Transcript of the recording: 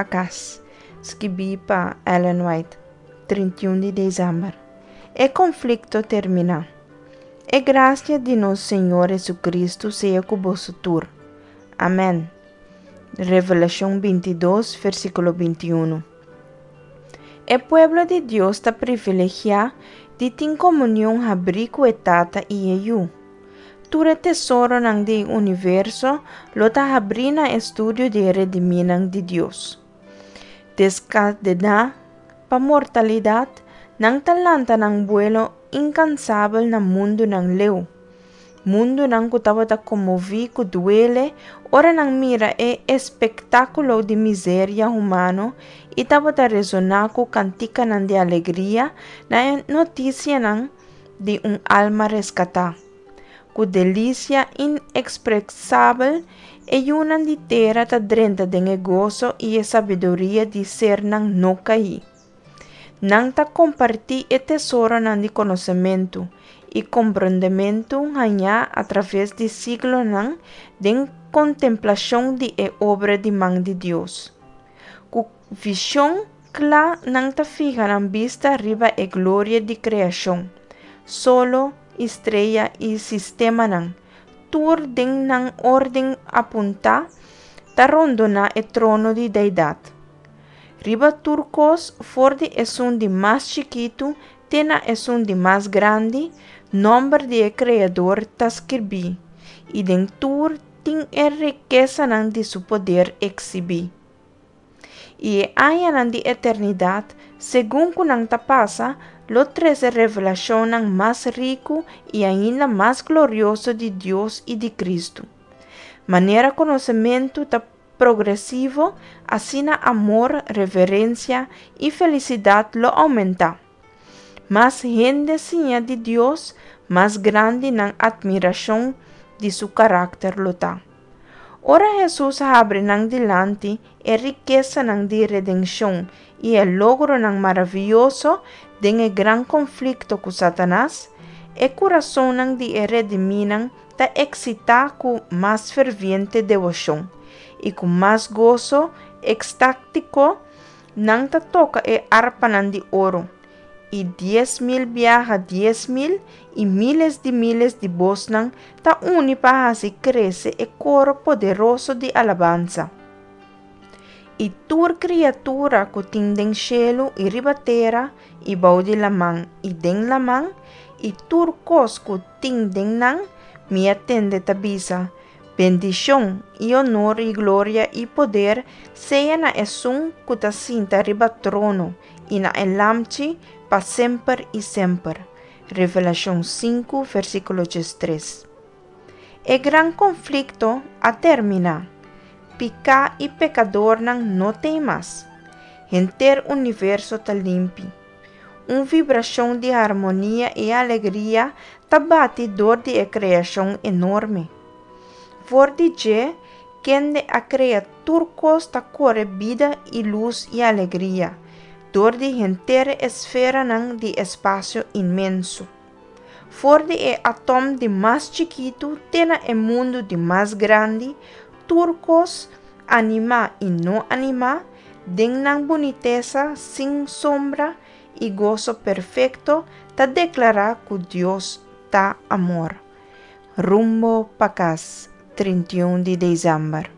pa kas, skibí pa Ellen White, 31 di desèmber. E konflikto terminá. E grasia di nos Señor Hesukristu sea ku boso tur. Amèn. Revelashon 22, versíkulo 21. E pueblo di Dios ta privilegiá di tin komunion habrí ku e Tata i e Yu. Tur e tesoronan di universo lo ta habrí na estudio di e redimínan di Dios. Deskadená pa mortalidat, nan ta lanta nan buelo inkansabel na mundunan leu, mundunan ku tabata konmoví ku duele ora nan mira e espektákulo di miseria humano i tabata resoná ku kantikanan di alegria na e notisianan di un alma reskatá. Ku delisia inekspresabel e yunan di tera ta drenta den e goso i e sabiduria di sernan no kaí. Nan ta kompartí e tesoronan di konosementu i komprondementu hañá atraves di siglonan den kontemplashon di e obra di man di Dios. Ku vishon kla nan ta fiha nan bista riba e gloria di kreashon, solo i strea i sistemanan, tur den nan órden apuntá, ta rondoná e trono di Deidat. Riba tur kos, for di esun di mas chikitu te na esun di mas grandi, nòmber di e Kreador ta skirbí, i den tur tin e rikesanan di su poder eksibí. I e añanan di eternidat, segun ku nan ta pasa, lo trese revelashonnan mas riku i ainda mas glorioso di Dios i di Kristu. Manera konosementu ta progresivo, asina amor, reverensia i felisidat lo oumentá. Mas hende siña di Dios, mas grandi nan atmirashon di su karakter lo ta. Ora Hesus habri nan dilanti e rikesanan di redenshon i e logronan maravioso den e gran konflikto ku Satanas, e kurasonnan di e redimínan ta eksitá ku mas ferviente deboshon, i ku mas goso ekstátiko nan ta toka e arpanan di oro, i 10,000 biaha 10,000 i míles di míles di bosnan ta uni pa hasi krese e koro poderoso di alabansa. I tur kriatura ku tin den shelu i riba tera i bou di laman i den laman i tur kos ku tin den nan, mi a tende ta bisa, Bendishon i onor i gloria i poder sea na Esun ku ta sinta riba trono i na e Lamchi pa semper i semper. Revelashon sinku, versíkulo diestres. E gran konflikto a terminá. Piká i pekadornan no t'ei mas. Henter universo ta limpi. Un vibrashon di harmonia i alegria ta bati dor di e kreashon enorme. For di dje, kende a krea tur kos ta kore bida i lus i alegria dor di henter e esferanan di espasio inmenso. For di e atòm di mas chikitu te na e mundu di mas grandi, tur kos, animá i no animá, den nan bunitesa sin sombra i goso perfekto, ta deklará ku Dios ta amor. Rumbo pa kas, 31 di desèmber.